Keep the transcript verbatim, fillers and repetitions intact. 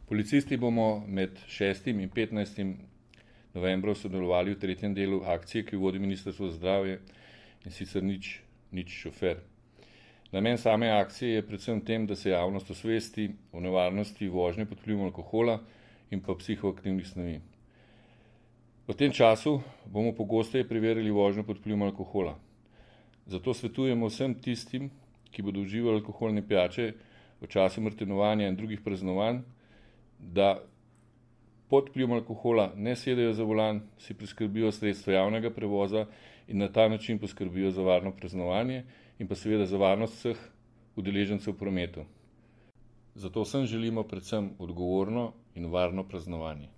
Policisti bomo med šestim in petnajstim novembrom sodelovali v tretjem delu akcije, ki jo vodi Ministrstvo za zdravje, in sicer nič, nič šofer. Namen same akcije je predvsem tem, da se javnost osvesti o nevarnosti vožnje pod vplivom alkohola in pa psihoaktivnih snovi. V tem času bomo pogosteje preverili vožnjo pod vplivom alkohola. Zato svetujemo vsem tistim, ki bodo uživali alkoholne pijače v času martinovanja in drugih praznovanj, da pod vplivom alkohola ne sedejo za volan, si priskrbijo sredstva javnega prevoza in na ta način poskrbijo za varno praznovanje in pa seveda za varnost vseh udeležencev v prometu. Zato vsem želimo predvsem odgovorno in varno praznovanje.